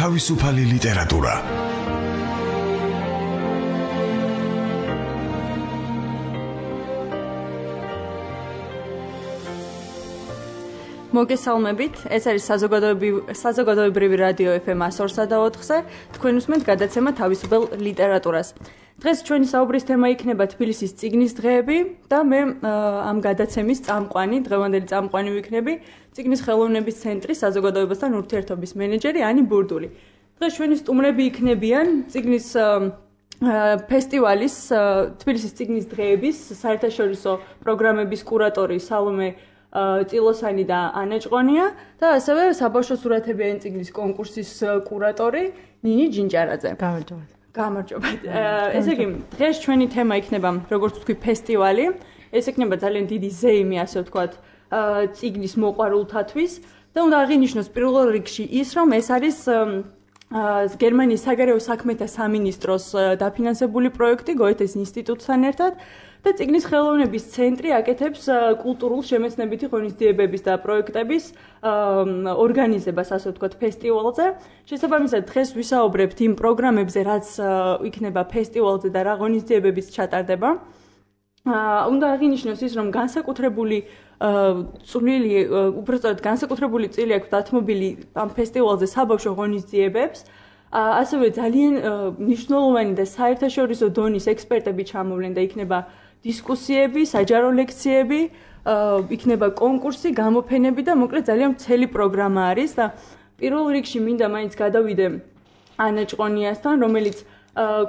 თავისუფალი ლიტერატურა. მოგესალმებით, ეს არის საზოგადოებრივი რადიო FM 102.4-ზე, თქვენ უსმენთ გადაცემა თავისუფალ ლიტერატურას. დღეს ჩვენი საუბრის თემა იქნება თბილისის წიგნის დღეები და მე ამ გადაცემის წამყვანი, დღევანდელი წამყვანი ვიქნები, წიგნის ხელოვნების ცენტრის საზოგადოებასთან ურთიერთობის მენეჯერი ანი ბურდული. დღეს ჩვენი სტუმრები იქნებიან წიგნის ფესტივალის თბილისის წიგნის დღეების საერთაშორისო პროგრამების კურატორი სალომე წილოსანი და ანა ჭყონია და ასევე საბავშვო სურათებიანი წიგნის კონკურსის კურატორი ნინი ჯინჯარაძე. გამარჯობა. ესე იგი, დღეს ჩვენი თემა იქნება, როგორც ვთქვი, ფესტივალი. ეს იქნება ძალიან დიდი ზეიმი, ასე ვთქვათ, წიგნის მოყვარულთათვის და უნდა აღინიშნოს პირველ რიგში ის, რომ ეს არის გერმანიის საგარეო საქმეთა სამინისტროს დაფინანსებული პროექტი გოეთეს ინსტიტუტთან ერთად და წიგნის ხელოვნების ცენტრი აკეთებს კულტურულ შემეცნებითი ღონისძიებების და პროექტების ორგანიზებას, ასე ვთქვათ, ფესტივალზე. შესაბამისად, დღეს ვისაუბრებთ იმ პროგრამებზე, რაც იქნება ფესტივალზე და რა ღონისძიებებიც ჩატარდება. უნდა აღინიშნოს ის, რომ განსაკუთრებული განსაკუთრებული წილი აქვს დათმობილი ამ ფესტივალზე საბავშვო ღონისძიებებს. ასევე ძალიან მნიშვნელოვანი და საერთაშორისო დონის ექსპერტები ჩამოვლენ და იქნება დისკუსიები, საჯარო ლექციები, იქნება კონკურსი, გამოფენები და მოკლედ ძალიან მთელი პროგრამა არის და პირველ რიგში მინდა მაინც გადავიდე ანა ჭყონიასთან, რომელიც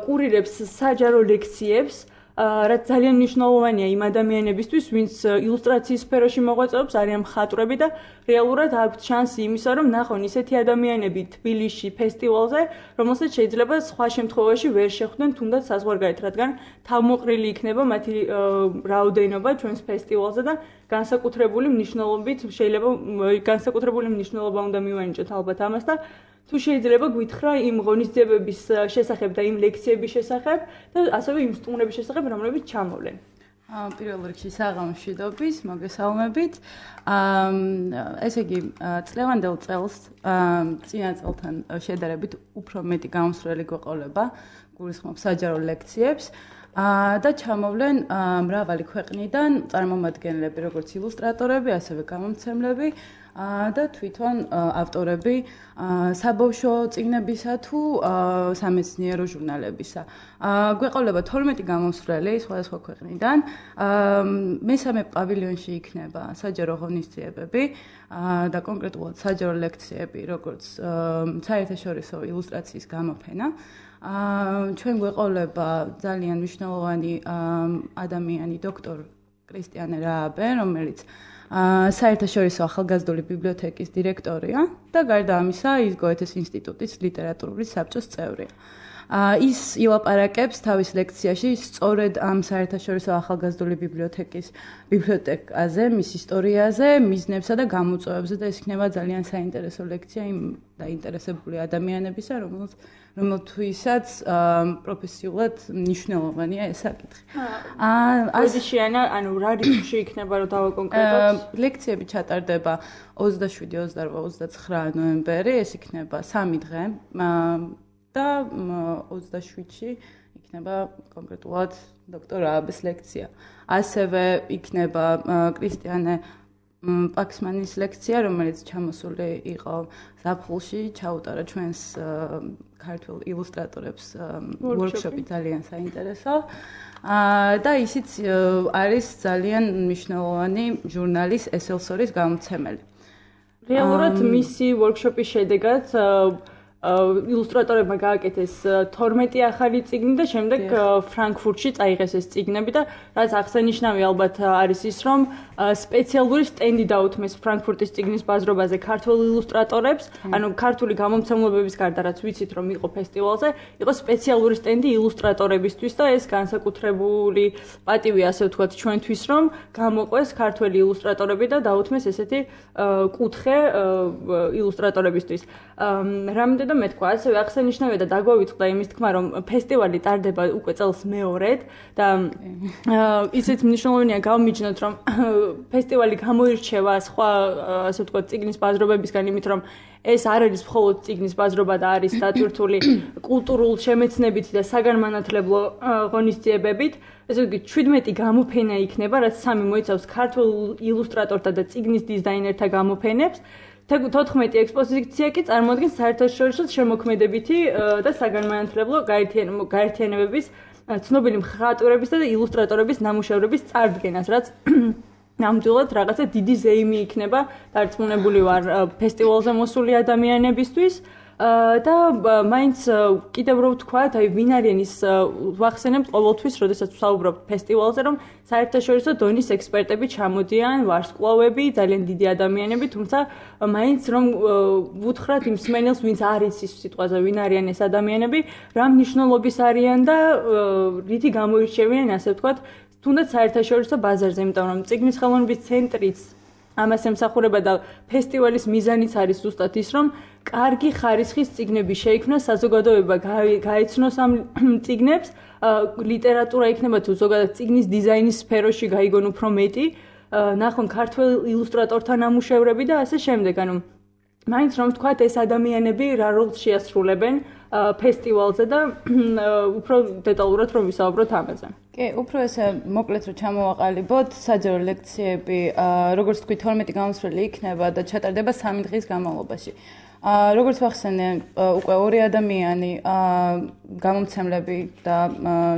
კურირებს საჯარო ლექციებს, რაც ძალიან მნიშვნელოვანია იმ ადამიანებისთვის, ვინც ილუსტრაციის სფეროში მოღვაწეობს, არიან მხატვრები და რეალურად აქვთ შანსი იმისა, რომ ნახონ ისეთი ადამიანები თბილისში ფესტივალზე, რომელსაც შეიძლება სხვა შემთხვევაში ვერ შეხვდნენ თუნდაც საზღვარგარეთ, რადგან თავმოყრილი იქნება მათი რაოდენობა ჩვენს ფესტივალზე და განსაკუთრებული მნიშვნელობა უნდა მივანიჭოთ ალბათ ამას და თუ შეიძლება გვითხრა იმ ღონისძიებების შესახებ და იმ ლექციების შესახებ და ასევე იმ სტუმრების შესახებ, რომლებიც ჩამოვლენ. პირველ რიგში საღამოშვიდობის, მოგესალმებით. ესე იგი, წლევანდელ წელს წინა წელთან შედარებით უფრო მეტი გამოსვლელი გვეყოლება, გულისხმობ საჯარო ლექციებს და ჩამოვლენ მრავალი ქვეყნიდან წარმომადგენლები, როგორც ილუსტრატორები, ასევე გამომცემლები და თვითონ ავტორები საბავშვო წიგნებისა თუ სამეცნიერო ჟურნალებისა. გვეყოლება 12 გამოსვლელი სხვადასხვა ქვეყნიდან. მესამე პავილიონში იქნება საჯარო ღონისძიებები და კონკრეტულად საჯარო ლექციები, როგორც საერთაშორისო ილუსტრაციის გამოფენა. ჩვენ გვეყოლება ძალიან მნიშვნელოვანი ადამიანი დოქტორ კრისტიანე რააბე, რომელიც საერთაშორისო ახალგაზრდული ბიბლიოთეკის დირექტორია და გარდა ამისა ის გოეთეს ინსტიტუტის ლიტერატურული საბჭოს წევრია. ის ილაპარაკებს თავის ლექციაში სწორედ ამ საერთაშორისო ახალგაზრდული ბიბლიოთეკის ბიბლიოთეკაზე, მის ისტორიაზე, მიზნებსა და გამოწვევებზე და ეს იქნება ძალიან საინტერესო ლექცია იმ დაინტერესებული ადამიანებისა, რომელთვისაც პროფესიულად მნიშვნელოვანია ეს საკითხი. ასიშიანა, ანუ რა რიცხვში იქნება რომ დავაკონკრეტოთ? ლექციები ჩატარდება 27, 28, 29 ნოემბერი, ეს იქნება 3 დღე. და 27-ში იქნება კონკრეტულად დოქტორ რააბეს ლექცია. ასევე იქნება კრისტიანე პაქსმანის ლექცია, რომელიც ჩამოსული იყო ზაფხულში, ჩაუტარა ჩვენს ქართულ ილუსტრატორებს ვორქშოპი ძალიან საინტერესო. და ისიც არის ძალიან მნიშვნელოვანი ჟურნალის ესელსორის გამომცემელი. რეალურად მისი ვორქშოპის შედეგად ილუსტრატორებმა გააკეთეს 12 ახალი წიგნი და შემდეგ ფრანკფურტში წაიღეს ეს წიგნები და რაც აღსანიშნავი ალბათ არის ის, რომ სპეციალური სტენდი დაუთმეს ფრანკფურტის წიგნის ბაზრობაზე ქართველ ილუსტრატორებს, ანუ ქართული გამომცემლობების გარდა რაც ვიცით რომ იყო ფესტივალზე, იყო სპეციალური სტენდი ილუსტრატორებისთვის და ეს განსაკუთრებული პატივი ასე ვთქვათ ჩვენთვის რომ გამოყვეს ქართველი ილუსტრატორები და დაუთმეს ესეთი კუთხე ილუსტრატორებისთვის. რამდენ და მე თქვა, ასევე აღსანიშნავია და დაგვავიწყდა იმის თქმა, რომ ფესტივალი ტარდება უკვე წელს მეორედ და ისიც მნიშვნელოვანია გავმიჯნოთ, რომ ფესტივალი გამოირჩევა სხვა, ასე ვთქვათ, წიგნის ბაზრობებისგან, იმით რომ ეს არ არის მხოლოდ წიგნის ბაზრობა და არის დატვირთული კულტურულ შემეცნებით და საგანმანათლებლო ღონისძიებებით. ესე იგი 17 გამოფენა იქნება, რაც სამი მოიცავს ქართულ ილუსტრატორთა და წიგნის დიზაინერთა გამოფენებს. 14 ექსპოზიცია კი წარმოადგენს საერთაშორისო შემოქმედებითი და საგანმანათლებლო გაერთიანებების ცნობილი მხატვრების და ილუსტრატორების ნამუშევრების წარდგენას, რაც ნამდვილად რაღაცა დიდი ზეიმი იქნება დარწმუნებული ვარ ფესტივალზე მოსული ადამიანებისთვის და მაინც კიდევ რო ვთქვათ, აი ვინ არიან ის ვახსენებთ ყოველთვის, როდესაც ვსაუბრობ ფესტივალზე, რომ საერთაშორისო დონის ექსპერტები ჩამოდიან, ვარსკვლავები, ძალიან დიდი ადამიანები, თუმცა მაინც რომ ვუთხრათ იმ მსმენელს, ვინც არის ის სიტყვაზე, ვინ არიან ეს ადამიანები, რა მნიშვნელობის არიან და რითი გამოირჩევიან, ასე ვთქვათ, თუნდაც საერთაშორისო ბაზარზე, იმიტომ რომ წიგნის ხელოვნების ცენტრიც ამას ემსახურება და ფესტივალის მიზანიც არის ზუსტად ის, რომ კარგი ხარისხის წიგნები შეიქმნას, საზოგადოება გაეცნოს ამ წიგნებს, ლიტერატურა იქნება თუ ზოგადად წიგნის დიზაინის სფეროში გაიგონ უფრო მეტი, ნახონ ქართველ ილუსტრატორთა ნამუშევრები და ასე შემდეგ. ანუ მაინც რომ ვთქვათ, ეს ადამიანები რა როლს შეასრულებენ ფესტივალზე და უფრო დეტალურად რომ ვისაუბროთ ამაზე. კი, უფრო ესე მოკლედ რომ ჩამოვაყალიბოთ, საჯარო ლექციები, როგორც თქვი 12 გამოსვლელი იქნება და ჩატარდება 3 დღის განმავლობაში. როგორც ვახსენე, უკვე 2 ადამიანი გამომცემლები და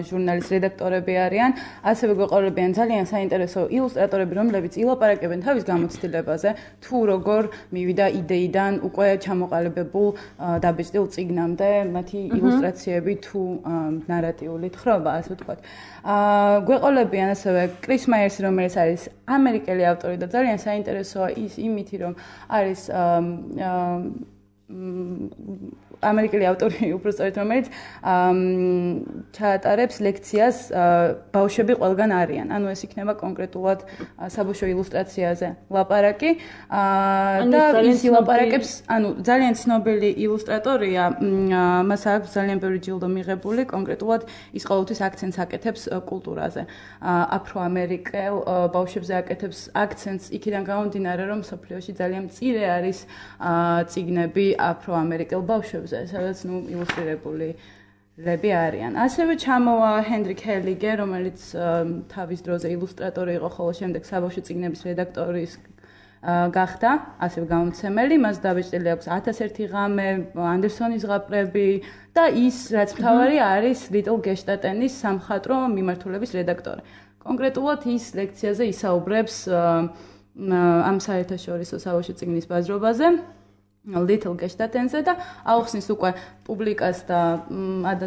ჟურნალის რედაქტორები არიან, ასევე გვეყოლებიან ძალიან საინტერესო ილუსტრატორები, რომლებიც ილაპარაკებენ თავის გამოცდილებაზე, თუ როგორ მივიდა იდეიდან უკვე ჩამოყალიბებულ დაბეჭდილ წიგნამდე, მათი ილუსტრაციები თუ ნარატიული თხრობა, ასე ვთქვათ. გვეყოლებიან ასევე კრის მაიერსი, რომელიც არის ამერიკელი ავტორი და ძალიან საინტერესოა ის იმითი, რომ არის ამერიკელი ავტორი უბრალოდ რომელიც ჩაატარებს ლექციას ბავშვები ყველგან არიან. ანუ ეს იქნება კონკრეტულად საბავშვო ილუსტრაციაზე ლაპარაკი და ის ილაპარაკებს, ანუ ძალიან ცნობილი ილუსტრატორია, მას აქვს ძალიან ბევრი ჯილდო მიღებული, კონკრეტულად ის ყოველთვის აქცენტს აკეთებს კულტურაზე. აფროამერიკელ ბავშვებზე აკეთებს აქცენტს იქიდან გამომდინარე, რომ მსოფლიოში ძალიან მწირე არის წიგნები აფროამერიკელ ბავშვებზე, სადაც ილუსტრირებული ლები არიან. ასევე ჩამოვა ჰენდრიკ ჰელიგე, რომელიც თავის დროზე ილუსტრატორი იყო, ხოლო შემდეგ საბავშვო წიგნების რედაქტორის გახდა, ასევე გამომცემელი. მას დაბეჭდილი აქვს 1001 ღამე, ანდერსონის ზღაპრები და ის, რაც მთავარი არის, ლიტლ გეშტატენის სამხატვრო მიმართულების რედაქტორი. კონკრეტულად ის ლექციაზე ისაუბრებს ამ საერთაშორისო საბავშვო წიგნის ბაზრობაზე. Little გეშტატენზე და აუხსნის უკვე პუბლიკას და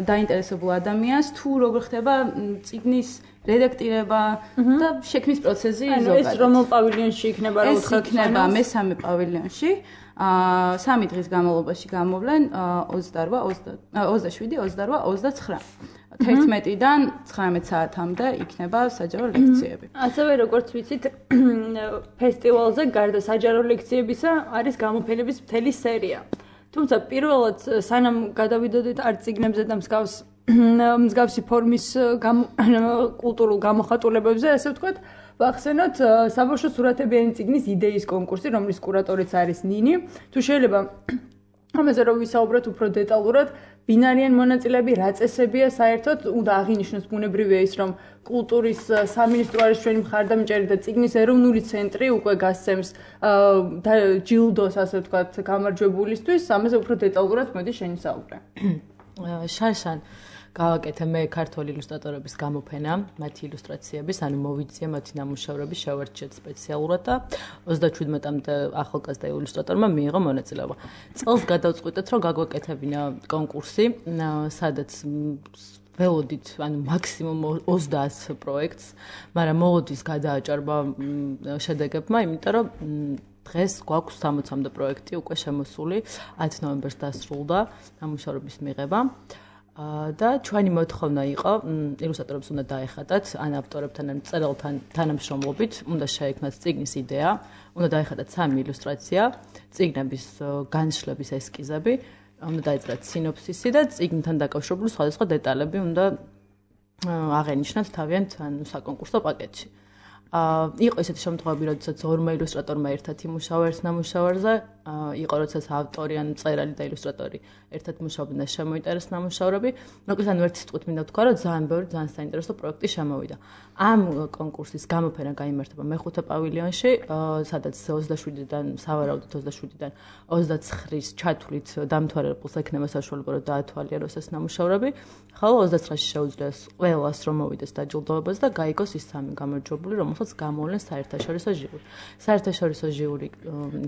დაინტერესებულ ადამიანს თუ როგორ ხდება წიგნის რედაქტირება და შექმნის პროცესი ზოგადად. ეს რომელ პავილიონში იქნება რა უთხრათ? ეს იქნება მესამე პავილიონში. 3 დღის განმავლობაში გამოვლენ 27, 29. 11-დან 19 საათამდე იქნება საჯარო ლექციები. ასევე როგორც ვიცით, ფესტივალზე გარდა საჯარო ლექციებისა არის გამოფენების მთელი სერია. თუმცა პირველად სანამ გადავიდოდეთ არც წიგნებზე და მსგავსი ფორმის კულტურულ გამოხატულებებზე, ასე ვთქვათ, ვახსენოთ საბავშვო სურათებიანი წიგნის იდეის კონკურსი, რომლის კურატორიც არის ნინი. თუ შეიძლება ამაზე რომ ვისაუბროთ უფრო დეტალურად, ვინ არიან მონაწილეები, რა წესებია საერთოდ, უნდა აღინიშნოს ბუნებრივია ის, რომ კულტურის სამინისტრო არის ჩვენი მხარდამჭერი და წიგნის ეროვნული ცენტრი უკვე გასცემს ჯილდოს, ასე ვთქვათ, გამარჯვებულისთვის. ამაზე უფრო დეტალურად მოდი შენი საუბრე. შარშან გავაკეთე მე ქართული ილუსტრატორების გამოფენა, მათი ილუსტრაციების, ანუ მოვიძიე მათი ნამუშევრები, შევარჩიეთ სპეციალურად და 27-მდე ახალგაზრდა ილუსტრატორმა მიიღო მონაწილეობა. წელს გადავწყვიტეთ, რომ გაგვეკეთებინა კონკურსი, სადაც ველოდით, ანუ მაქსიმუმ 30 პროექტს, მაგრამ მოლოდის გადააჭარბა შედეგებმა, იმიტომ რომ დღეს გვაქვს 60-მდე პროექტი უკვე შემოსული, 10 ნოემბერს დასრულდა ნამუშევრების მიღება. და ჩვენი მოთხოვნა იყო ილუსტრატორებს უნდა დაეხატათ ან ავტორებთან ან მწერალთან თანამშრომლობით უნდა შეექმნათ წიგნის იდეა უნდა დაეხატათ 3 ილუსტრაცია წიგნების განშლების ესკიზები უნდა დაეწერათ სინოფსისი და წიგნთან დაკავშირებული სხვადასხვა დეტალები უნდა აღენიშნათ თავიანთ საკონკურსო პაკეტში. იყო ესეთი შემთხვევები, როდესაც ორმა ილუსტრატორმა ერთად იმუშავა ერთ ნამუშევარზე, იყო როდესაც ავტორი ან მწერალი და ილუსტრატორი ერთად მუშაობდნენ და შემოიტანეს ნამუშევრები. მოკლედ ანუ ერთი სიტყვით მინდა ვთქვა, რომ ძალიან ბევრი ძალიან საინტერესო პროექტი შემოვიდა. ამ კონკურსის გამოფენა გაიმართება მეხუთე პავილიონში, სადაც 27-დან, სავარაუდოდ 27-დან 29-ის ჩათვლით დამთავრებულს ექნება საშუალება, რომ დაათვალიეროს ეს ნამუშევრები. ხოლო 29-ში შეუძლიათ ყველას რომ მოვიდეს დაჯილდოებას და გაიგოს ის სამი გამარჯვებული, რომელსაც გამოვლენ საერთაშორისო ჟიური. საერთაშორისო ჟიური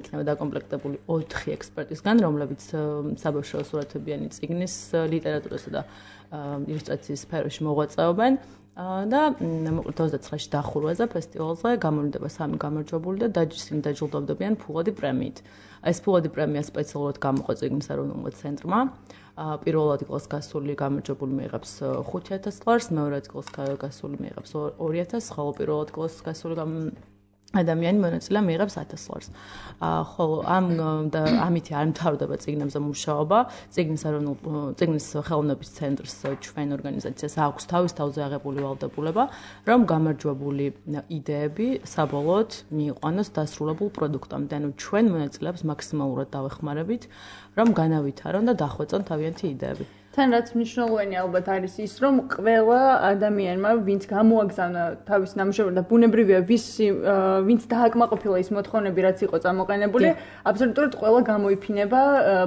იქნება დაკომპლექტებული 4 ექსპერტისგან, რომლებიც საბავშვო სურათებიანი წიგნის ლიტერატურასა და ილუსტრაციის სფეროში მოღვაწეობენ. და მოკლედ 29-ში დახურვაზე ფესტივალზე გამოვლინდება 3 გამარჯვებული და ისინი დაჯილდოვდებიან ფულადი პრემიით. ეს ფულადი პრემია სპეციალურად გამოყო წიგნის ეროვნულმა ცენტრმა. პირველად იკლას გასული გამარჯვებული მიიღებს 5,000 ლარს, მეორად იკლას გასული მიიღებს 2,000, ხოლო პირველად იკლას გასული ადამიანი მონაწილე მიიღებს 1,000 ლარს. ხოლო ამით არ მთავრდება წიგნებზე მუშაობა. წიგნის ხელოვნების ცენტრს ჩვენ ორგანიზაციას აქვს თავის თავზე აღებული ვალდებულება, რომ გამარჯვებული იდეები საბოლოოდ მიიყვანოს დასრულებულ პროდუქტამდე. ანუ ჩვენ მონაწილეებს მაქსიმალურად დავეხმარებით, რომ განავითარონ და დახვეწონ თავიანთი იდეები. თან რაც მნიშვნელოვანი ალბათ არის ის, რომ ყველა ადამიანმა, ვინც გამოაგზავნა თავის ნამუშევარი და ბუნებრივია, ვინც დააკმაყოფილა ის მოთხოვნები, რაც იყო წამოყენებული, აბსოლუტურად ყველა გამოიფინება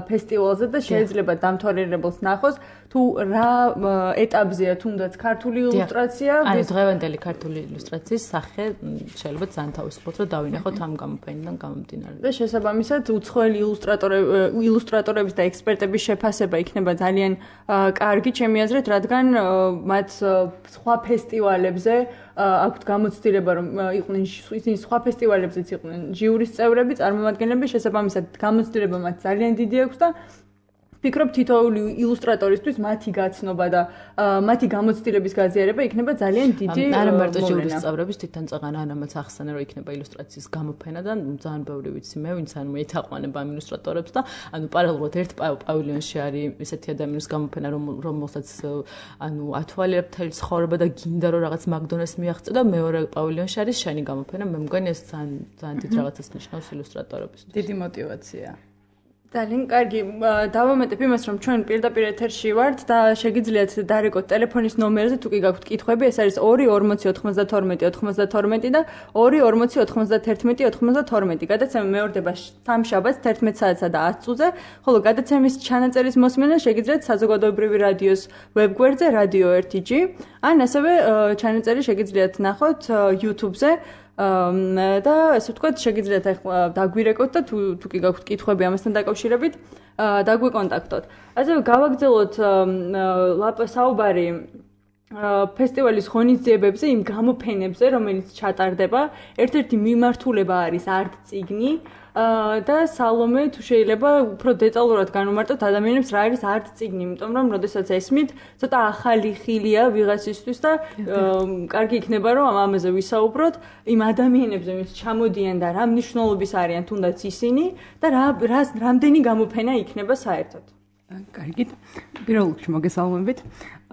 ფესტივალზე და შეიძლება დამთვალიერებელს ნახოს, თუ რა ეტაპზეა თუნდაც ქართული ილუსტრაცია. ანუ დღევანდელი ქართული ილუსტრაციის სახე შეიძლება ძალიან თავისუფლად რომ დავინახოთ ამ გამოფენიდან გამომდინარე. და შესაბამისად უცხოელი ილუსტრატორების და ექსპერტების შეფასება იქნება ძალიან კარგი ჩემი აზრით, რადგან მათ სხვა ფესტივალებზე აქვთ გამოცდილება, რომ იყვნენ ისინი სხვა ფესტივალებზეც იყვნენ ჟიურის წევრები, წარმომადგენლები, შესაბამისად გამოცდილება მათ ძალიან დიდი აქვს და ვფიქრობ თითოეული ილუსტრატორისთვის მათი გაცნობა და მათი გამოცდილების გაზიარება იქნება ძალიან დიდი არა მარტო ჟიურის წევრების თვითონ წაღანა ანამაც ახსენა რომ იქნება ილუსტრაციის გამოფენა და ძალიან ბევრი ვიცი მე ვინც ანუ ეთაყვანება ამ ილუსტრატორებს და ანუ პარალელურად ერთ პავილიონში არის ესეთი ადამიანის გამოფენა რომელსაც ანუ ათვალიერებ მთელი ცხოვრება და გინდა რომ რაღაც მაგდონალდს მიაღწევ და მეორე პავილიონში არის შენი გამოფენა მე მგონი ეს ძალიან დიდ რაღაცას ნიშნავს ილუსტრატორებს დიდი мотиваცია ძალიან კარგი დავამატებ იმას რომ ჩვენ პირდაპირ ეთერში ვართ და შეგიძლიათ დარეკოთ ტელეფონის ნომერზე თუ კი გაქვთ კითხვები ეს არის 24092 და 24091 გადაცემა მეორდება სამშაბათს 11 საათსა და 10 წუთზე ხოლო გადაცემის ჩანაწერის მოსმენა შეგიძლიათ საზოგადოებრივი რადიოს ვებგვერდზე Radio 1G ან ასევე ჩანაწერი შეგიძლიათ ნახოთ YouTube-ზე და ასე ვთქვათ, შეგიძლიათ ახლა დაგვირეკოთ და თუ კი გაქვთ კითხვები ამასთან დაკავშირებით, დაგვიკონტაქტოთ. ასევე გავაგრძელოთ საუბარი ფესტივალის ღონისძიებებზე, იმ გამოფენებზე, რომელიც ჩატარდება. ერთ-ერთი მიმართულება არის art წიგნი და სალომე თუ შეიძლება უფრო დეტალურად განვმარტოთ ადამიანებს რა არის art წიგნი, იმიტომ რომ როდესაც ესმით, ცოტა ახალი ხილია ვიღაცისთვის და კარგი იქნება რომ ამაზე ვისაუბროთ იმ ადამიანებზე, ვინც ჩამოდიან და რა მნიშვნელობის არიან თუნდაც ისინი და რამდენი გამოფენა იქნება საერთოდ. კარგით. პირველ რიგში მოგესალმებით.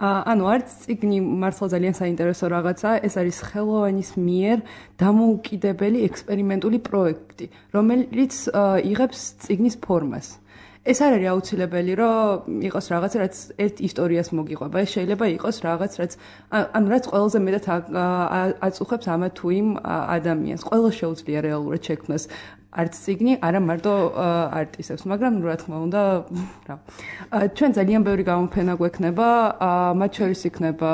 ანუ არც წიგნი მართლა ძალიან საინტერესო რაღაცაა, ეს არის ხელოვანის მიერ დამოუკიდებელი ექსპერიმენტული პროექტი, რომელიც იღებს წიგნის ფორმას. ეს არ არის აუცილებელი, რომ იყოს რაღაცა, რაც ერთ ისტორიას მოგიყვება. ეს შეიძლება იყოს რაღაც, რაც რაც ყველაზე მეტად აწუხებს ამა თუ იმ ადამიანს. ყველა შეუძლია რეალურად შექმნას არც წიგნი, არა მარტო არტისტებს, მაგრამ რა თქმა უნდა, რა. ჩვენ ძალიან ბევრი გამოფენა გვექნება, მათ შორის იქნება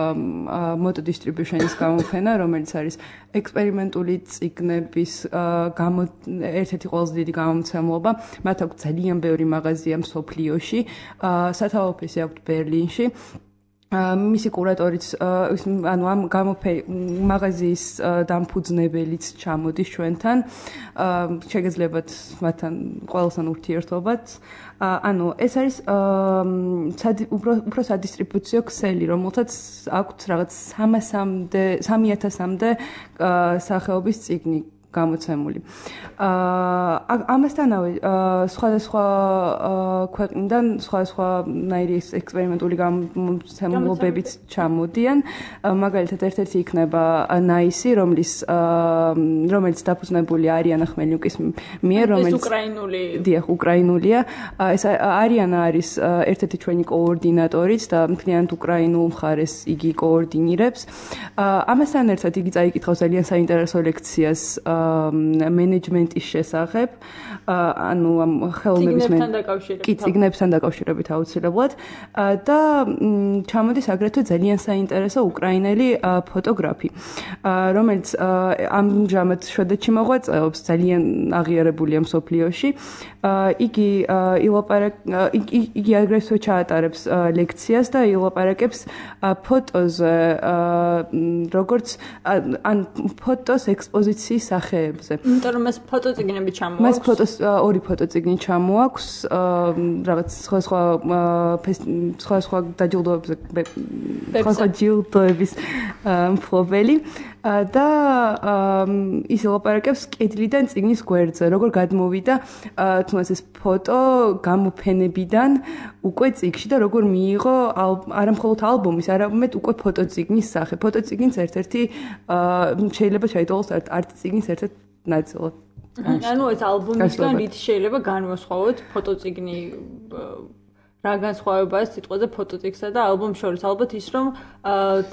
Moto Distribution-ის გამოფენა, რომელიც არის ექსპერიმენტული წიგნების ერთ-ერთი ყველაზე დიდი გამომცემლობა. მათ აქვს ძალიან ბევრი მაღაზია მსოფლიოში, სათავო ოფისი აქვს ბერლინში. მისი კურატორიც ანუ ამ მაღაზიის დამფუძნებელიც ჩამოდის ჩვენთან შეგეძლებათ მათთან ყველასთან ურთიერთობაც ანუ ეს არის უფრო სადისტრიბუციო ქსელი რომელთაც აქვს რაღაც 3000-მდე სახეობის წიგნი გამოცემული. ამასთანავე სხვადასხვა ქვეყნიდან სხვადასხვანაირი ექსპერიმენტული გამოცემულობებიც ჩამოდიან. მაგალითად, ერთ-ერთი იქნება NICE, რომელიც დაფუძნებული არიანა ხმელნიუკის მიერ, რომელიც უკრაინული. დიახ, უკრაინულია. ეს არიანა არის ერთ-ერთი ჩვენი კოორდინატორიც და მთლიანად უკრაინულ მხარეს იგი კოორდინირებს. ამასთან ერთად იგი წაიკითხავს ძალიან საინტერესო ლექციას მენეჯმენტის შესახებ, ანუ ამ ხელოვნების წიგნებთან დაკავშირებით აუცილებლად და ჩამოდის აგრეთვე ძალიან საინტერესო უკრაინელი ფოტოგრაფი, რომელიც ამჟამად შვედეთში მოღვაწეობს, ძალიან აღიარებულია მსოფლიოში. იგი აგრეთვე ჩაატარებს ლექციას და ილაპარაკებს ფოტოზე, როგორც ან ფოტოს ექსპოზიციის სახეებზე. იმიტომ რომ ეს ფოტოწიგნები ჩამოაქვს. მას ორი ფოტოწიგნი ჩამოაქვს, რაღაც სხვა დაჯილდოებზე, სხვა ჯილდოების მფლობელი და ის ილაპარაკებს კედლიდან წიგნის გვერდზე, როგორ გადმოვიდა თუნდაც ეს ფოტო გამოფენებიდან უკვე წიგნში და როგორ მიიღო არა მხოლოდ ალბომის, არამედ უკვე ფოტოწიგნის სახე. ფოტოწიგნის ერთ-ერთი შეიძლება ჩაითვალოს არც წიგნის ერთ-ერთ ნაწილად. ანუ ეს ალბომისგან რით შეიძლება განვასხვაოთ ფოტოწიგნი რა განსხვავებაა სიტყვაზე ფოტოწიგნსა და ალბომს შორის? ალბათ ის რომ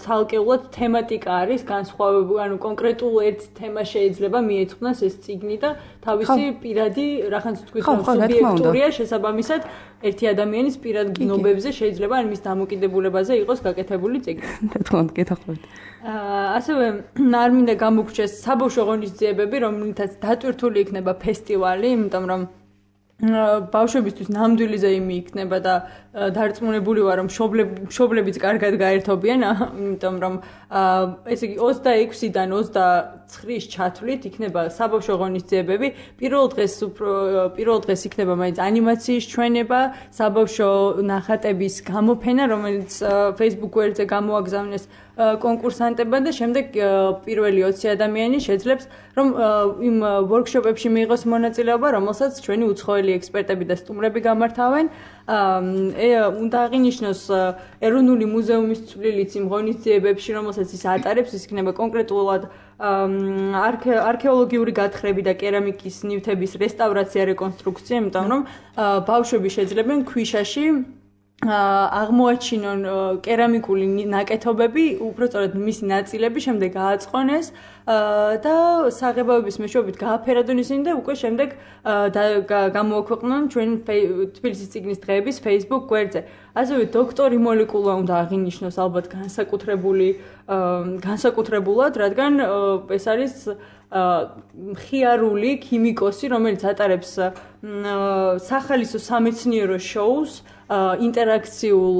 ცალკეულად თემატიკა არის განსხვავებული, ანუ კონკრეტულ ერთ თემას შეიძლება მიეძღვნას ეს წიგნი და თავისი პირადი რახანს თქვით რომ სუბიექტურია შესაბამისად ერთი ადამიანის პირად გნობებზე შეიძლება ან მის დამოკიდებულებაზე იყოს გაკეთებული წიგნი. რა თქმა უნდა, გეთახმებით. ასევე არ მინდა გამოგჩეს საბავშვო ღონისძიებები, რომლითაც დატვირთული იქნება ფესტივალი, იმიტომ რომ ბავშვებისთვის ნამდვილი ზეიმი იქნება და დარწმუნებული ვარ რომ მშობლებიც კარგად გაერთობიან, იმიტომ რომ ესე იგი 26-დან 29-ის ჩათვლით იქნება საბავშვო ღონისძიებები. პირველ დღეს იქნება მაინც ანიმაციის ჩვენება, საბავშვო ნახატების გამოფენა, რომელიც Facebook გვერდზე გამოაგზავნეს კონკურსანტებმა და შემდეგ პირველი 20 ადამიანი შეძლებს რომ იმ ვორქშოპებში მიიღოს მონაწილეობა, რომელსაც ჩვენი უცხოელი ექსპერტები და სტუმრები გამართავენ. უნდა აღინიშნოს ეროვნული მუზეუმის წვლილიც იმ ღონისძიებებში, რომელსაც ის ატარებს, ის იქნება კონკრეტულად არქეოლოგიური გათხრები და კერამიკის ნივთების რესტავრაცია, რეკონსტრუქცია, იმიტომ რომ ბავშვები შეძლებენ ქვიშაში აღმოაჩინონ კერამიკული ნაკეთობები, უბრალოდ მისი ნაწილები შემდეგ გააწყონეს და საღებავების მეშვეობით გააფერადონ ისინი და უკვე შემდეგ გამოაქვეყნონ ჩვენ თბილისის წიგნის დღეების Facebook გვერდზე. ასევე დოქტორი მოლეკულა უნდა აღინიშნოს ალბათ განსაკუთრებულად, რადგან ეს არის მხიარული ქიმიკოსი, რომელიც ატარებს სახალისო სამეცნიერო შოუს, ინტერაქციულ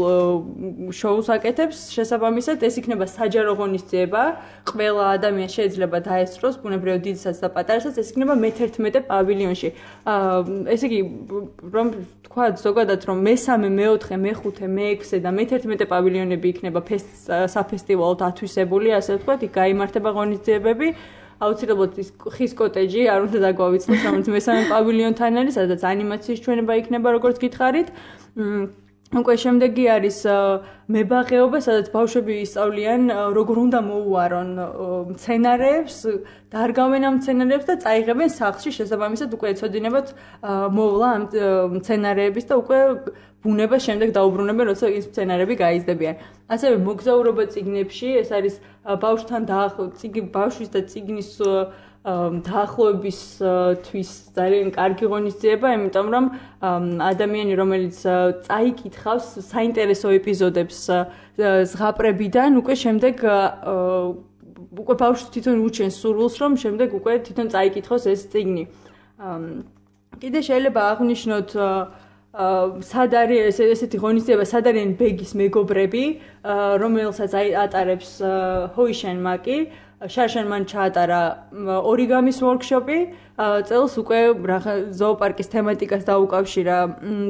შოუს აკეთებს, შესაბამისად ეს იქნება საჯარო ღონისძიება, ყველა ადამიანი შეიძლება დაესწროს, ბუნებრივად დიდსაც და პატარასაც, ეს იქნება მე-11 პავილიონში. ესე იგი, რომ თქვა ზოგადად, რომ მე-3, მე-4, მე-5, მე-6 და მე-11 პავილიონები იქნება საფესტივალოდ ათვისებული, ასე ვთქვათ, იქ გაიმართება ღონისძიებები. აუცილებლად ის ხის კოტეჯი არ უნდა დაგვავიწყოს, რომელიც მე-3 პავილიონთან არის, სადაც ანიმაციის ჩვენება იქნება, როგორც გითხარით. უკვე შემდეგი არის მებაღეობა, სადაც ბავშვები ისწავლიან, როგორ უნდა მოუარონ მცენარეებს, დარგავენ ამ მცენარეებს და წაიღებენ სახლში, შესაბამისად უკვე ეცოდინებათ მოვლა ამ მცენარეების და უკვე ბუნება შემდეგ დაუბრუნებენ, როცა ის მცენარეები გაიზრდებიან. ასევე მოგზაურობა წიგნებში, ეს არის ბავშვთან ბავშვის და წიგნის დაახლოებისთვის ძალიან კარგი ღონისძიება, იმიტომ რომ ადამიანი, რომელიც წაიკითხავს საინტერესო ეპიზოდებს ზღაპრებიდან, უკვე შემდეგ უკვე ბავშვს თვითონ უჩენს სურვილს, რომ შემდეგ უკვე თვითონ წაიკითხოს ეს წიგნი. კიდე შეიძლება აღვნიშნოთ სად არის ესეთი ღონისძიება, სად არიან ბეგის მეგობრები, რომელსაც ატარებს ჰოიშენ მაკი. შარშან მან ჩაატარა ორიგამის ვორქშოპი, წელს უკვე ზოოპარკის თემატიკას დაუკავშირა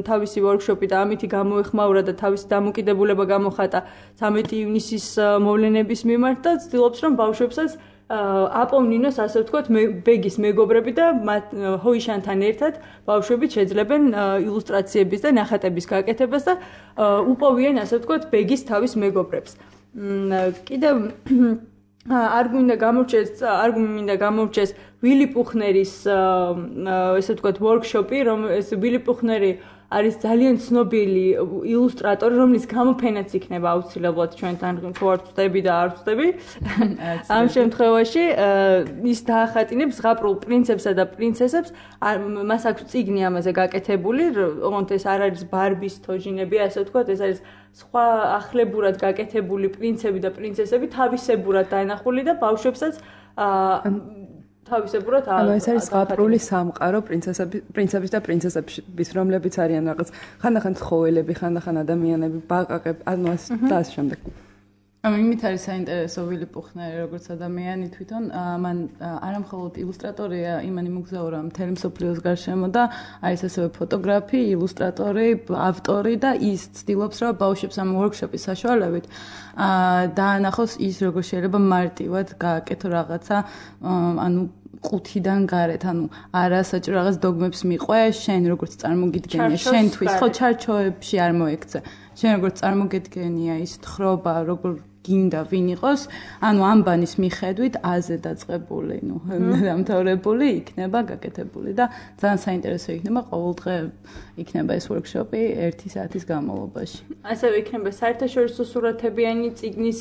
თავისი ვორქშოპი და ამითი გამოეხმაურა და თავისი დამოკიდებულება გამოხატა 13 ივნისის მოვლენების მიმართ და ცდილობს რომ ბავშვებსაც აპოვნინოს ასე ვთქვათ ბეგის მეგობრები და ჰოიშანთან ერთად ბავშვები შეძლებენ ილუსტრაციების და ნახატების გაკეთებას და უპოვიან ასე ვთქვათ ბეგის თავის მეგობრებს. კიდევ არ მინდა გამორჩეს ვილი პუხნერის ესე ვთქვათ ვორქშოპი, ეს ვილი პუხნერი არის ძალიან ცნობილი ილუსტრატორი, რომლის გამოფენაც იქნება აუცილებლად ჩვენთან თუ არ ვწდები და არ ვწდები. ამ შემთხვევაში ის დაახატინებს ზღაპრულ პრინცებსა და პრინცესებს, მას აქვს წიგნი ამაზე გაკეთებული, ოღონდ ეს არ არის ბარბის თოჯინები, ასე ვთქვათ, ეს არის სხვა ახლებურად გაკეთებული პრინცები და პრინცესები თავისებურად დაენახული და ბავშვებსაც თავისებურად ეს არის ზღაპრული სამყარო პრინცების და პრინცესების, რომლებიც არიან რაღაც ხანდახან ცხოველები, ხანდახან ადამიანები, ბაყაყები, ანუ ეს და ამ შემდეგ. იმით არის საინტერესო ვილი პუხნერი როგორც ადამიანი თვითონ, მან არამხოლოდ ილუსტრატორია, იმანი მოგზაურა მთელი მსოფლიოს გარშემო და არის ასევე ფოტოგრაფი, ილუსტრატორი, ავტორი და ის ცდილობს, რომ ბავშვებს ამ ვორქშოპის საშუალებით დაანახოს ის, როგორ შეიძლება მარტივად გააკეთო რაღაცა, ანუ ყუთიდან გარეთ, ანუ არა საჭირო რაღაც დოგმებს მიყვე, შენ როგორც წარმოგიდგენია, შენთვის ხო ჩარჩოებში არ მოექცე. შენ როგორც წარმოგედგენია ის თხრობა, როგორ გინდა ვინ იყოს, ანუ ამბანის მიხედვით აზე დაწყებული, დამთავრებული იქნება გაკეთებული და ძალიან საინტერესო იქნება ყოველდღე იქნება ეს ვორქშოპი 1 საათის განმავლობაში. ასევე იქნება საერთაშორისო სურათებიანი წიგნის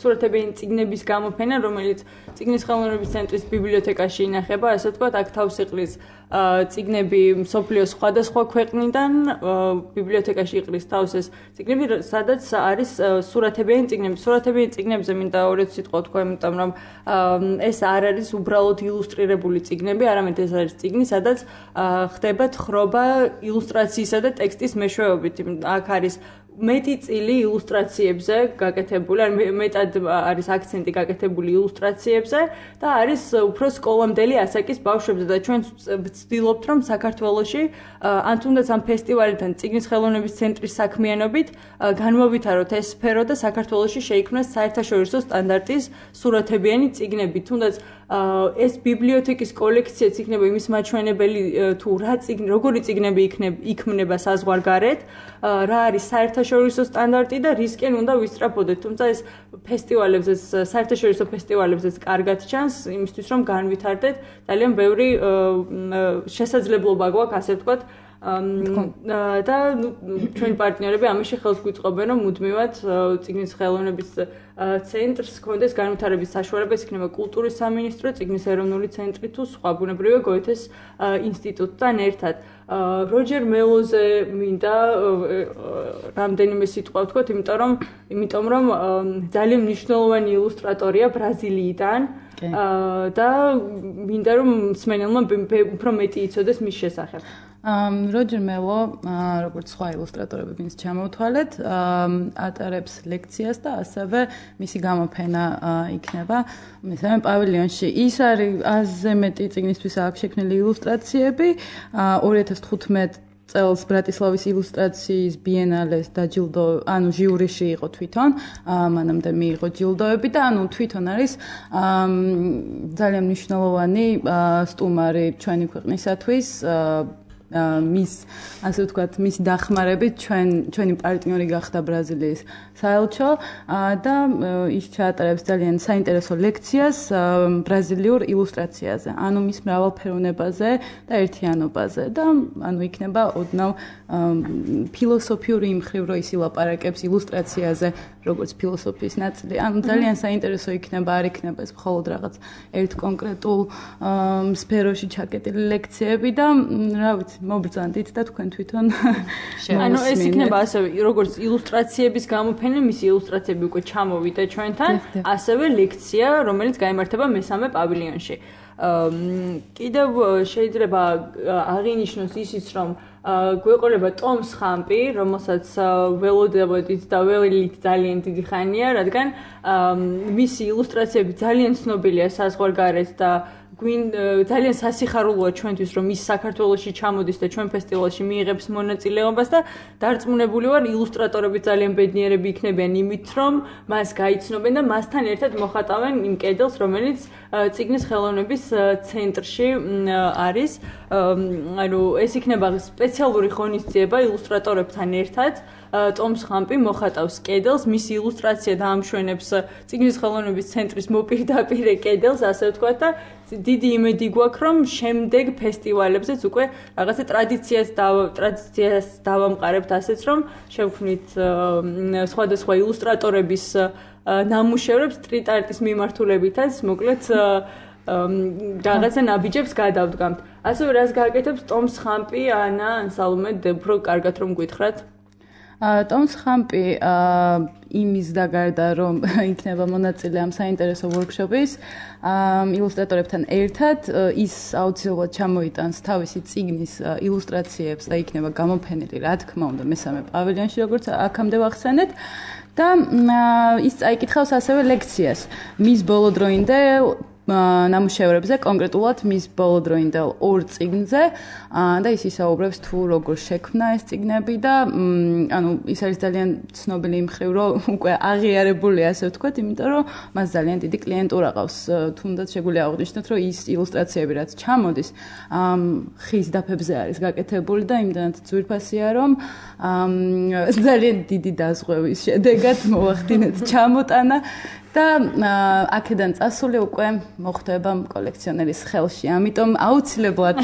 სურათებიანი წიგნების გამოფენა, რომელიც წიგნის ხელოვნების ცენტრის ბიბლიოთეკაში ინახება, ასე ვთქვათ, აქ თავს იყრის წიგნები მსოფლიოს სხვადასხვა ქვეყნიდან, ბიბლიოთეკაში იყრის თავს ეს წიგნები, სადაც არის სურათებიანი წიგნები. სურათებიანი წიგნებზე მინდა ორეთ სიტყვა თქვა, იმიტომ რომ ეს არ არის უბრალოდ ილუსტრირებული წიგნები, არამედ ეს არის წიგნი, სადაც ხდება თხრობა ილუსტრაციისა და ტექსტის მეშვეობით. აქ არის მეტი წილი ილუსტრაციებზე გაკეთებული, მეტად არის აქცენტი გაკეთებული ილუსტრაციებზე და არის უფრო სკოლამდელი ასაკის ბავშვებზე და ჩვენ ვცდილობთ, რომ საქართველოში ან თუნდაც ამ ფესტივალიდან წიგნის ხელოვნების ცენტრის საქმიანობით განმოვითაროთ ეს სფერო და საქართველოში შეიქმნას საერთაშორისო სტანდარტის სურათებიანი წიგნები. თუნდაც ეს ბიბლიოთეკის კოლექციაც იქნება იმის მაჩვენებელი თუ როგორი წიგნები იქმნება საზღვარგარეთ, რა არის საერთაშორისო სტანდარტი და რისკენ უნდა ვისწრაფოდეთ. თუმცა ეს ფესტივალებზეც, საერთაშორისო ფესტივალებზეც კარგად ჩანს, იმისთვის რომ განვითარდეთ, ძალიან ბევრი შესაძლებლობა გვაქვს, ასე ვთქვათ, და ჩვენი პარტნიორები ამაში ხელს გვიწყობენ, რომ მუდმივად წიგნის ხელოვნების ცენტრს ჰქონდეს განვითარების საშუალება, ეს იქნება კულტურის სამინისტრო, წიგნის ეროვნული ცენტრი თუ სხვა, ბუნებრივია გოეთეს ინსტიტუტთან ერთად. როჯერ მელოზე მინდა რამდენიმე სიტყვა ვთქვათ, იმიტომ რომ ძალიან მნიშვნელოვანი ილუსტრატორია ბრაზილიიდან და მინდა რომ მსმენელმა უფრო მეტი იცოდეს მის შესახებ. როჯერ მელო, როგორც სხვა ილუსტრატორები, ვინც ჩამოვთვალეთ, ატარებს ლექციას და ასევე მისი გამოფენა იქნება მესამე პავილიონში. ის არის აზე მეტი წიგნისთვის აქვს შექმნილი ილუსტრაციები. 2015 წელს ბრატისლავის ილუსტრაციის ბიენალეს დაჯილდო, ანუ ჟიურიში იყო თვითონ, მანამდე მიიღო ჯილდოები და ანუ თვითონ არის ძალიან მნიშვნელოვანი სტუმარი ჩვენი ქვეყნისათვის. მის ასე ვთქვათ, მის დახმარებით ჩვენი პარტნიორი გახდა ბრაზილიის საელჩო და ის ჩაატარებს ძალიან საინტერესო ლექციას ბრაზილიურ ილუსტრაციაზე, ანუ მის მრავალფეროვნებაზე და ერთიანობაზე და ანუ იქნება ოდნავ ფილოსოფიური იმხრივ, რომ ის ილაპარაკებს ილუსტრაციაზე, როგორც ფილოსოფიის ნაწილი. ანუ ძალიან საინტერესო იქნება, არ იქნება ეს მხოლოდ რაღაც ერთ კონკრეტულ სფეროში ჩაკეტილი ლექციები და რა ვიცი, მობრძანდით და თქვენ თვითონ ანუ ეს იქნება ასევე როგორც ილუსტრაციების გამოფენა, მისი ილუსტრაციები უკვე ჩამოვიდა ჩვენთან, ასევე ლექცია, რომელიც გაიმართება მესამე პავილიონში. კიდევ შეიძლება აღინიშნოს ისიც, რომ გვეყოლება ტომს ხამპი, რომელსაც ველოდებოდით და ველით ძალიან დიდი ხანია, რადგან მისი ილუსტრაციები ძალიან ცნობილია საზღვარგარეთ და ძალიან სასიხარულოა ჩვენთვის რომ ის საქართველოში ჩამოდის და ჩვენ ფესტივალში მიიღებს მონაწილეობას და დარწმუნებული ვარ ილუსტრატორები ძალიან ბედნიერები იქნებიან იმით რომ მას გაიცნობენ და მასთან ერთად მოხატავენ იმ კედელს რომელიც წიგნის ხელოვნების ცენტრში არის ანუ ეს იქნება სპეციალური ღონისძიება ილუსტრატორებთან ერთად ტომს ხამპი მოხატავს კედელს მისი ილუსტრაცია დაამშვენებს წიგნის ხელოვნების ცენტრის მოპირდაპირე კედელს ასე ვთქვათ და დიდი იმედი გვაქვს რომ შემდეგ ფესტივალებზეც უკვე რაღაცა ტრადიციას დავამყარებთ ასეც რომ შევქმნით სხვადასხვა ილუსტრატორების ნამუშევრებს სტრიტ არტის მიმართულებითაც მოკლედ რაღაცა ნაბიჯებს გადავდგამთ ასევე რას გააკეთებს ტომს ხამპი ანა ან სალომე უფრო კარგად რომ გითხრათ ტომს ხამპი იმის და გარდა რომ იქნება მონაწილე ამ საინტერესო ვორქშოპის ილუსტრატორებთან ერთად ის აუცილებლად ჩამოიტანს თავისი წიგნის ილუსტრაციებს და იქნება გამოფენილი რა თქმა უნდა მესამე პავილიონში როგორც აქამდე ვახსენეთ და ის წაიკითხავს ასევე ლექციას მის ბოლოდროინდე ნამუშევრებზე კონკრეტულად მის ბოლოდროინდელ ორ წიგნზე და ის ისაუბრებს თუ როგორ შექმნა ეს წიგნები და ანუ ის არის ძალიან ცნობილი იმ მხრივ რომ უკვე აღიარებული ასე ვთქვათ იმიტომ რომ მას ძალიან დიდი კლიენტურა ყავს თუნდაც შეგვიძლია აღვნიშნოთ რომ ის ილუსტრაციები რაც ჩამოდის ხის დაფებზე არის გაკეთებული და იმდანაც ძვირფასია რომ ძალიან დიდი დაზღვევის შედეგად მოახდინეთ ჩამოტანა და აქედან წასული უკვე მოხდება კოლექციონერის ხელში. ამიტომ აუცილებლად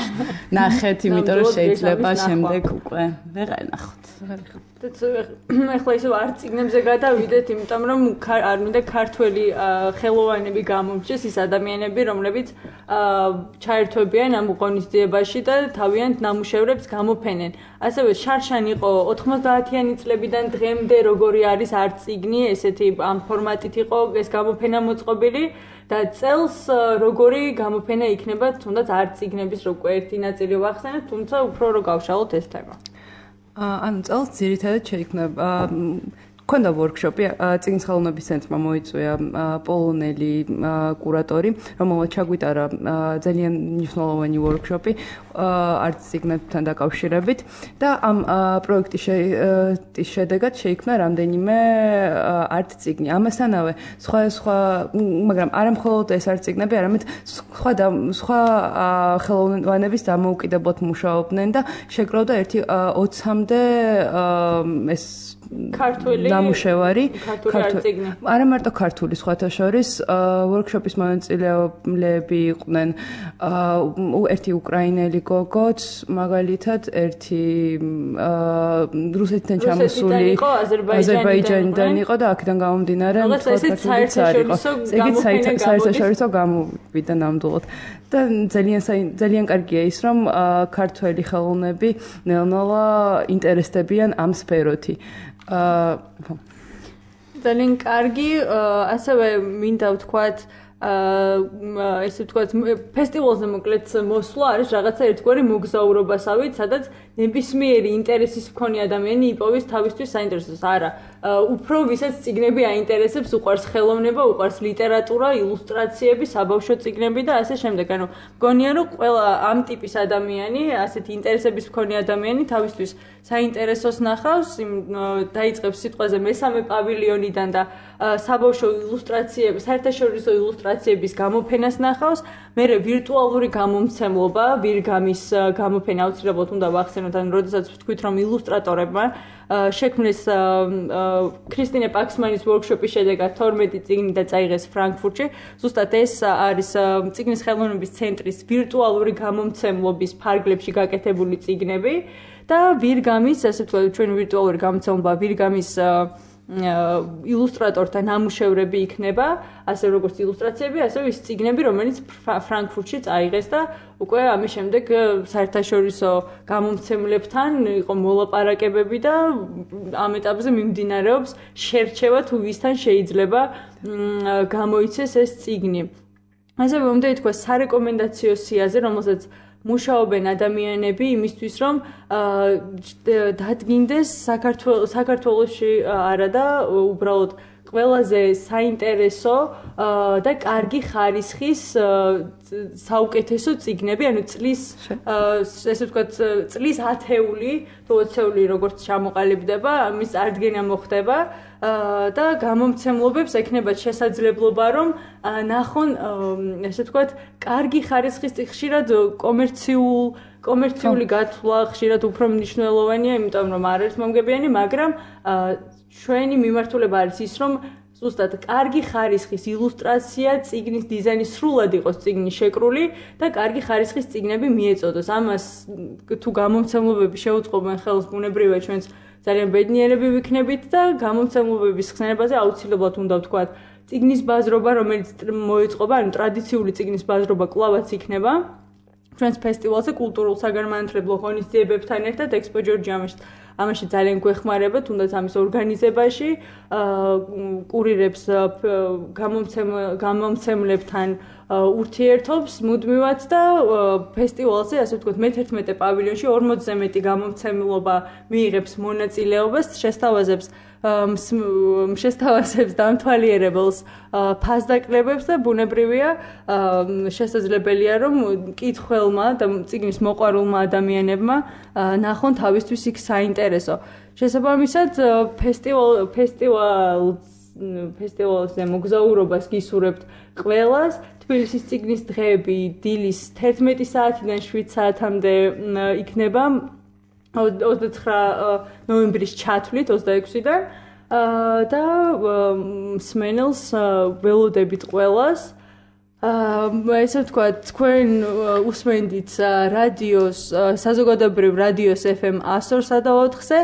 ნახეთ, იმიტომ რომ შეიძლება შემდეგ უკვე ვეღარ ნახოთ. ეხლა ისევ არ წიგნებზე გადავიდეთ, იმიტომ რომ არ მინდა ქართველი ხელოვანები გამომჩეს ის ადამიანები, რომლებიც ჩაერთვებიან ამ ღონისძიებაში და თავიანთ ნამუშევრებს გამოფენენ. ასევე შარშან იყო 90-იანი წლებიდან დღემდე როგორი არის არც წიგნი, ესეთი ამ ფორმატით იყო ეს გამოფენა მოწყობილი და წელს როგორი გამოფენა იქნება, თუნდაც არც წიგნების უკვე ერთი ნაწილი ვახსენეთ, თუმცა უფრო რო გავშალოთ ეს თემა. ანუ წელს ძირითადად შეიქმნება ქონდა ვორქშოპი წიგნის ხელოვნების ცენტრმა მოიწვია პოლონელი კურატორი, რომელმაც ჩაგვიტარა ძალიან მნიშვნელოვანი ვორქშოპი არც წიგნებთან დაკავშირებით და ამ პროექტის შედეგად შეიქმნა რამდენიმე არც წიგნი. ამასთანავე სხვა მაგრამ არა მხოლოდ ეს არც წიგნები, არამედ სხვა ხელოვნებების დამოუკიდებლად მუშაობდნენ და შეკროვდა ერთი 20-მდე ეს ქართული ნამუშევარი ქართული არა მარტო ქართული სხვათა შორის ვორქშოპის მონაწილეები იყვნენ ერთი უკრაინელი გოგოც მაგალითად ერთი რუსეთიდან ჩამოსული აზერბაიჯანიდან იყო და აქედან გამომდინარე საერთაშორისო გამოვიდა ნამდვილად და ძალიან კარგია ის რომ ქართველი ხელოვნები ნელ-ნელა ინტერესდებიან ამ სფეროთი ძალიან კარგი ასევე მინდა ვთქვათ ესე ვთქვათ ფესტივალზე მოკლედ მოსვლა არის რაღაცა ერთგვარი მოგზაურობასავით სადაც ნებისმიერი ინტერესის მქონე ადამიანი იპოვის თავისთვის საინტერესოს არა უფრო ვისაც წიგნები აინტერესებს უყვარს ხელოვნება უყვარს ლიტერატურა ილუსტრაციები საბავშვო წიგნები და ასე შემდეგ ანუ მგონია რომ ყველა ამ ტიპის ადამიანი ასეთი ინტერესების მქონე ადამიანი თავისთვის საინტერესოს ნახავს დაიწყებს სიტყვაზე მესამე პავილიონიდან და საბავშვო ილუსტრაციები საერთაშორისო ილუსტრაციების გამოფენას ნახავს მერე ვირტუალური გამომცემლობა ვირგამის გამოფენა აუცილებლად უნდა ვახსენოთ ან როდესაც ვთქვით რომ ილუსტრატორებმა შექმნეს ქრისტინე პაქსმანის ვორქშოპის შედეგად 12 წიგნი და წაიღეს ფრანკფურტში. ზუსტად ეს არის წიგნის ხელოვნების ცენტრის ვირტუალური გამომცემლობის ფარგლებში გაკეთებული წიგნები და ვირგამის, ასე ვთქვათ, ჩვენ ვირტუალური გამომცემლობა ვირგამის ილუსტრატორთა ნამუშევრები იქნება, ასე როგორც ილუსტრაციები, ასევე ის წიგნები, რომელიც ფრანკფურტში წაიღეს და უკვე ამის შემდეგ საერთაშორისო გამომცემლებთან იყო მოლაპარაკებები და ამ ეტაპზე მიმდინარეობს შერჩევა თუ ვისთან შეიძლება გამოიცეს ეს წიგნი. ასევე უნდა ითქვას სარეკომენდაციო სიაზე, რომელსაც მუშაობენ ადამიანები იმისთვის რომ დადგინდეს საქართველოში არა და უბრალოდ ყველაზე საინტერესო და კარგი ხარისხის საუკეთესო წიგნები, ანუ წლის ესე ვთქვათ, წლის ათეული, თუ 20-ეული როგორც ჩამოყალიბდება, ამის წარდგენა მოხდება და გამომცემლობებს ექნებათ შესაძლებლობა, რომ ნახონ, ესე ვთქვათ, კარგი ხარისხის ხშირად კომერციული გათვლა ხშირად უფრო მნიშვნელოვანია, იმიტომ რომ არ არის მომგებიანი, მაგრამ ჩვენი მიმართულება არის ის, რომ ზუსტად კარგი ხარისხის ილუსტრაცია, წიგნის დიზაინი სრულად იყოს წიგნი შეკრული და კარგი ხარისხის წიგნები მიეწოდოს. ამას თუ გამომცემლობები შეუწყობენ ხელს, ბუნებრივია ჩვენს ძალიან ბედნიერები ვიქნებით და გამომცემლობების ხსენებაზე აუცილებლად უნდა ვთქვათ, წიგნის ბაზრობა, რომელიც მოეწყობა, ანუ ტრადიციული წიგნის ბაზრობა კლავაც იქნება. ჩვენს ფესტივალზე კულტურულ საგანმანათლებლო ღონისძიებებთან ერთად ექსპო ჯორჯიამში ამაში ძალიან გვეხმარება, თუნდაც ამის ორგანიზებაში, კურირებს გამომცემლებთან ურთიერთობს მუდმივად და ფესტივალზე, ასე ვთქვათ, მე-11 პავილიონში 40-ზე მეტი გამომცემლობა მიიღებს მონაწილეობას, შესთავაზებს დამთვალიერებელს ფასდაკლებებს და ბუნებრივია შესაძლებელია რომ მკითხველმა და წიგნის მოყვარულმა ადამიანებმა ნახონ თავისთვის იქ საინტერესო. შესაბამისად ფესტივალზე მოგზაურობას გისურვებთ ყველას. თბილისის წიგნის დღეები დილის 11 საათიდან 7 საათამდე იქნება 29 ნოემბრის ჩათვლით 26-დან და მსმენელს ველოდებით ყველას. ესე ვთქვათ, თქვენ უსმენდით რადიოს, საზოგადოებრივ რადიოს FM 102-სა და 4-ზე.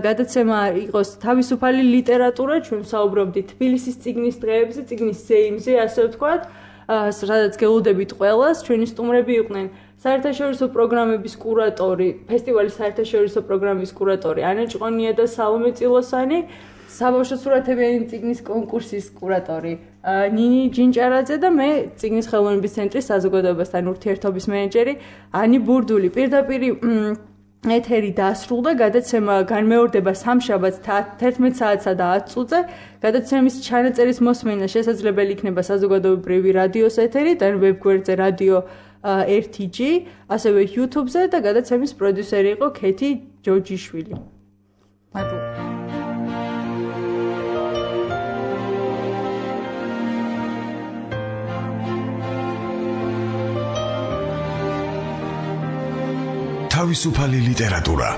გადაცემა იყოს თავისუფალი ლიტერატურა, ჩვენ საუბრობდით თბილისის წიგნის დღეებზე, წიგნის ზეიმზე, ასე ვთქვათ, სადაც გელოდებით ყველას. ჩვენი სტუმრები იყვნენ საერთაშორისო პროგრამების კურატორი, ფესტივალის საერთაშორისო პროგრამის კურატორი ანა ჭყონია და სალომე წილოსანი, საბავშვო სურათებიანი წიგნის კონკურსის კურატორი ნინი ჯინჭარაძე და მე წიგნის ხელოვნების ცენტრის საზოგადოებასთან ურთიერთობის მენეჯერი ანი ბურდული. პირდაპირ ეთერი დასრულდა, გადაცემა განმეორდება სამშაბათს 11 საათსა და 10 წუთზე. გადაცემის ჩანაწერის მოსმენა შესაძლებელი იქნება საზოგადოებრივი რადიოს ეთერით, ან ვებგვერდზე რადიო 1G, ასევე YouTube-ზე და გადაცემის პროდიუსერი იყო ქეთი ჯოჯიშვილი. მადლობა. თავისუფალი ლიტერატურა